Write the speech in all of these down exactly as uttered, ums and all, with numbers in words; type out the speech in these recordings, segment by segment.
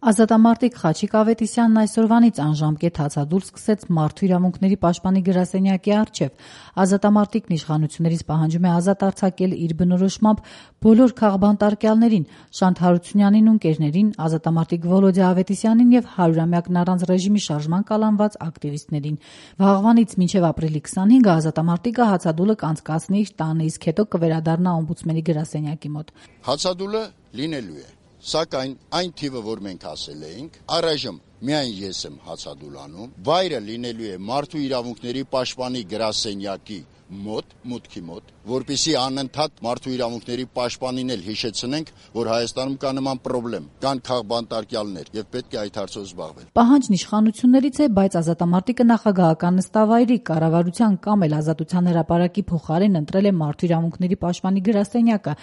Ազատամարտիկ Խաչիկ Ավետիսյանն այսօրվանից անժամկետ հացադուլ սկսեց Մարդու իրավունքների պաշտպանի գրասենյակի առջև։ Ազատամարտիկն իշխանություններից պահանջում է ազատ արձակել իր բնորոշմամբ բոլոր քաղբանտարկյալներին՝ Շանթ Հարությունյանին ու ընկերներին, ազատամարտիկ Վոլոդյա Ավետիսյանին եւ հարյուրամյակն առանց ռեժիմի շարժման կալանված ակտիվիստներին։ Վաղվանից մինչեւ ապրիլի քսանհինգը ազատամարտիկը հացադուլը կանցկացնի իր տանը, իսկ հետո կվերադառնա օմբուդսմենի գրասենյակի մոտ։ Հացադուլը լինելու է, սակայն այն թիվը, որ մենք ասել էինք, առայժմ միայն ես եմ հացադուլ անում, վայրը լինելու է Մարդու իրավունքների պաշտպանի գրասենյակի մոտ, մուտքի մոտ, որպեսզի անընդհատ Մարդու իրավունքների պաշտպանին էլ հիշեցնենք, որ Հայաստանում կա նման խնդրեմ, կան քաղբանտարկյալներ եւ պետք է այդ հարցով զբաղվել։ Պահանջն իշխանություններից է, բայց ազատամարտիկը նախագահական նստավայրի, կառավարության կամ էլ Ազատության հրապարակի փոխարեն ընտրել է Մարդու իրավունքների պաշտպանի գրասենյակը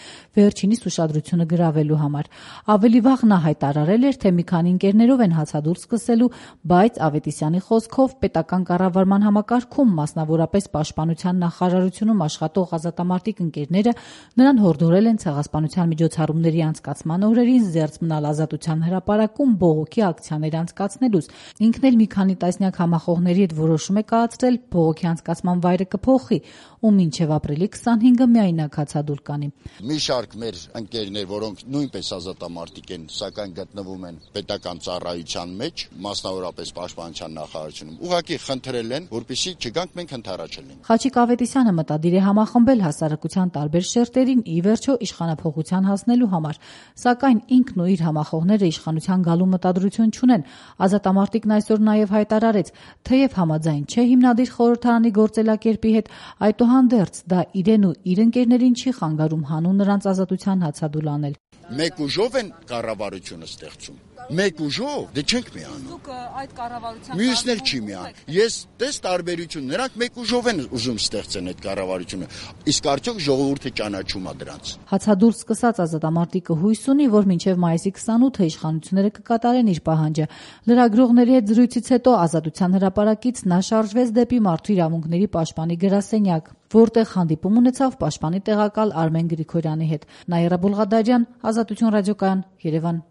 վերջինիս ուշադրությունը գրավելու համար։ Ավելի վաղ նա հայտարարել էր, թե մի քանի ընկերներով են հացադուլ սկսելու, բայց Ավետիսյանի խոսքով պետական կառավարման համակարգում, մասնավորապես պաշտպանության նախարարությունում աշխատող ազատամարտիկ ընկերները նրան հորդորել են ցեղասպանության միջոցառումների անցկացման օրերին զերծ մնալ Ազատության հրապարակում բողոքի ակցիաներ անցկացնելուց։ Ինքն էլ մի քանի տասնյակ համախոհների հետ որոշում է կայացրել բողոքի անցկացման վայրը կփոխի ու մինչև ապրիլի քսանհինգը միայնակ հացադուլ կանի։ Մի շարք մեր ընկերներ, որոնք նույնպես ազատամարտիկ են, սակայն գտնվում են պետական ծառայության մեջ, մասնավորապես պաշտպանության նախարարությունում, ուղղակի խնդրել են, որպեսզի չգանք մենք ընդառաջելենք։ Խաչիկ Ավետիսյանը մտադիր է համախմբել հասարակության տարբեր շերտերին ի վերջո իշխանափոխության հասնելու համար, սակայն ինքն ու իր համախոհները իշխանության գալու մտադրություն չունեն։ Ազատամարտիկն այսօր նաև հայտարարեց, թեև համաձայն չէ հիմնադիր խորհրդարանի գործելակերպի հետ, այդուհանդերձ դա իրեն ու իր ընկերներին չի խանգարում հանուն նրանց ազատության հացադուլ անել։ Մեկ ուժով են կառավարությունը ստեղծում։ Մեկ ուժով, դե չենք միանում։ Դուք այդ կառավարության մյուսն էլ չի միանում։ Ես տես տարբերություն, նրանք մեկ ուժով են ուզում ստեղծեն այդ կառավարությունը։ Իսկ արդյոք ժողովուրդը ճանաչում է դրանց։ Հացադուլ սկսած ազատամարտիկը հույս ունի, որ մինչև մայիսի քսանութը իշխանությունները կկատարեն իր պահանջը։ Լրագրողների հետ զրույցից հետո Ազատության հրապարակից նա շարժվեց դեպի Մարդու իրավունքների պաշտպանի գրասենյակ, որտեղ հանդիպում ունեցավ պաշտպանի տեղակալ Արմեն Գրիգորյանի հետ։ Նաիրա Բուլղադարյան, Ազատություն ռադիոկայան, Երևան։